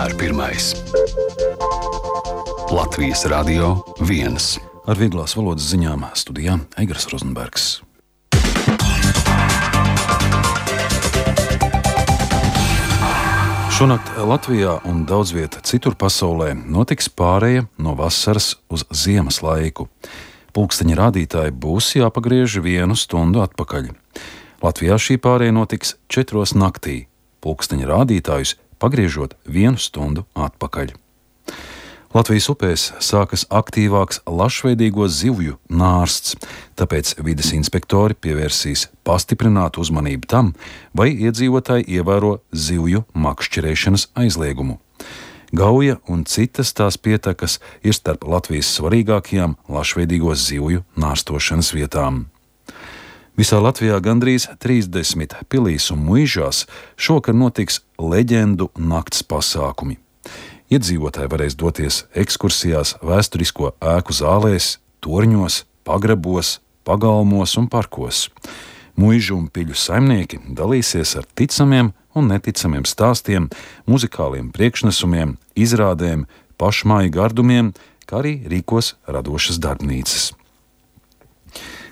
vienmēr pirmais. Latvijas Radio 1. Ar vieglās valodas ziņām studijā Eigars Rozenbergs. Šonakt Latvijā un daudz vieta citur pasaulē notiks pāreja no vasaras uz ziemas laiku. Pulksteņa rādītāji būs jāpagriež 1 stundu atpakaļ. Latvijā šī pāreja notiks 4 naktī, pulksteņa rādītājus pagriežot 1 stundu atpakaļ. Latvijas upēs sākas aktīvāks lašveidīgo zivju nārsts, tāpēc vides inspektori pievērsīs pastiprinātu uzmanību tam, vai iedzīvotāji ievēro zivju makšķerēšanas aizliegumu. Gauja un citas tās pietakas ir starp Latvijas svarīgākajām lašveidīgo zivju nārstošanas vietām. Visā Latvijā gandrīz 30 pilīs un muižās šokar notiks leģendu nakts pasākumi. Iedzīvotāji varēs doties ekskursijās vēsturisko ēku zālēs, torņos, pagrabos, pagalmos un parkos. Muižu un piļu saimnieki dalīsies ar ticamiem un neticamiem stāstiem, muzikāliem priekšnesumiem, izrādēm, pašmāju gardumiem, kā arī rīkos radošas darbnīcas.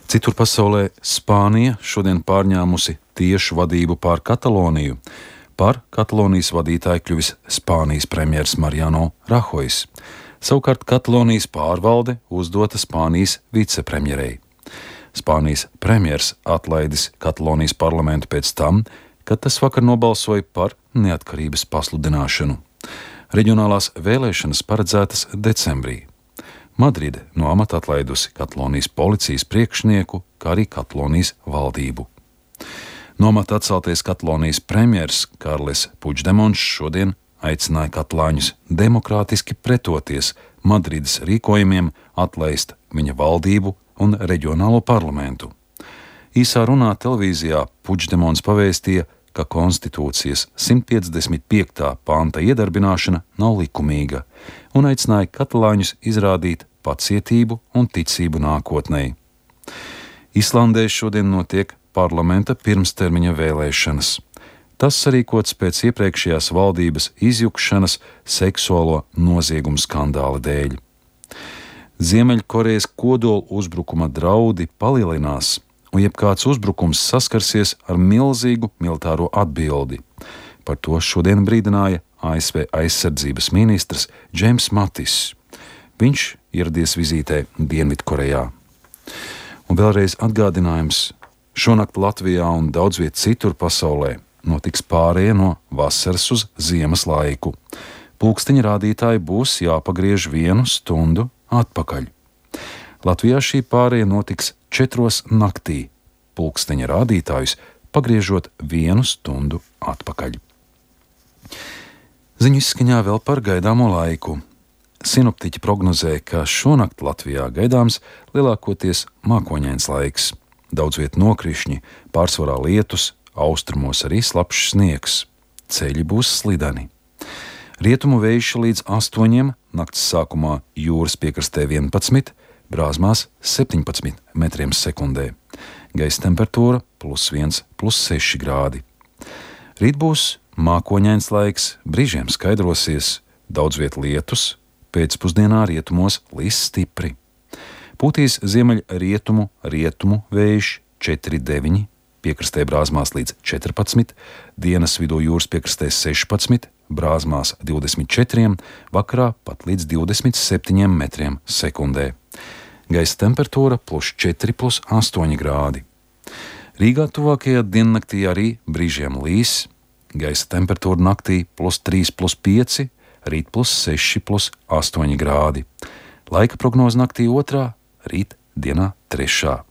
Citur pasaulē Spānija šodien pārņēmusi tiešu vadību pār Kataloniju. Par Katalonijas vadītāju kļuvis Spānijas premjers Mariano Rahojs. Savukārt Katalonijas pārvalde uzdota Spānijas vicepremjerei. Spānijas premjers atlaidis Katalonijas parlamentu pēc tam, kad tas vakar nobalsoja par neatkarības pasludināšanu. Reģionālās vēlēšanas paredzētas decembrī. Madride no amata atlaidusi Katalonijas policijas priekšnieku, kā arī Katalonijas valdību. No amata atceltais Katalonijas premjers Karles Puigdemons šodien aicināja katalāņus demokrātiski pretoties Madrides rīkojumiem atlaist viņa valdību un reģionālo parlamentu. Īsā runā televīzijā Puigdemons pavēstīja, ka konstitūcijas 155. panta iedarbināšana nav likumīga un aicināja katalāņus izrādīt pacietību un ticību nākotnei. Islandē šodien notiek parlamenta pirmstermiņa vēlēšanas. Tas sarīkots pēc iepriekšējās valdības izjukšanas seksuālo noziegumu skandāla dēļ. Ziemeļkorejas kodola uzbrukuma draudi palielinās, un jebkāds uzbrukums saskarsies ar milzīgu militāro atbildi. Par to šodien brīdināja ASV aizsardzības ministrs Džeims Matis. Viņš ieradies vizītē Dienvidkorejā. Un vēlreiz atgādinājums, šonakt Latvijā un daudz viet citur pasaulē notiks pāreja no vasaras uz ziemas laiku. Pulksteņa rādītāji būs jāpagriež 1 stundu atpakaļ. Latvijā šī pāreja notiks 4 naktī, pulksteņa rādītājus pagriežot 1 stundu atpakaļ. Ziņu izskaņā vēl par gaidāmo laiku. Sinoptiķi prognozē, ka šonakt Latvijā gaidāms lielākoties mākoņains laiks. Daudz viet nokrišņi, pārsvarā lietus, austrumos arī slapjš sniegs. Ceļi būs slideni. Rietumu vējš līdz 8, nakts sākumā jūras piekrastē 11, brāzmās 17 metriem sekundē. Gaisa temperatūra +1, +6 grādi. Rīt būs mākoņains laiks, brīžiem skaidrosies, daudz viet lietus, pēcpusdienā rietumos līs stipri. Pūtīs ziemeļrietumu vējš 4,9, piekrastē brāzmās līdz 14, dienas vidū jūras piekrastē 16, brāzmās 24, vakarā pat līdz 27 metriem sekundē. Gaisa temperatūra +4, +8 grādi. Rīgā tuvākajā diennaktī arī brīžiem līs, gaisa temperatūra naktī +3, +5, rīt +6, +8 grādi. Laika prognoze naktī 2, rīt dienā 3.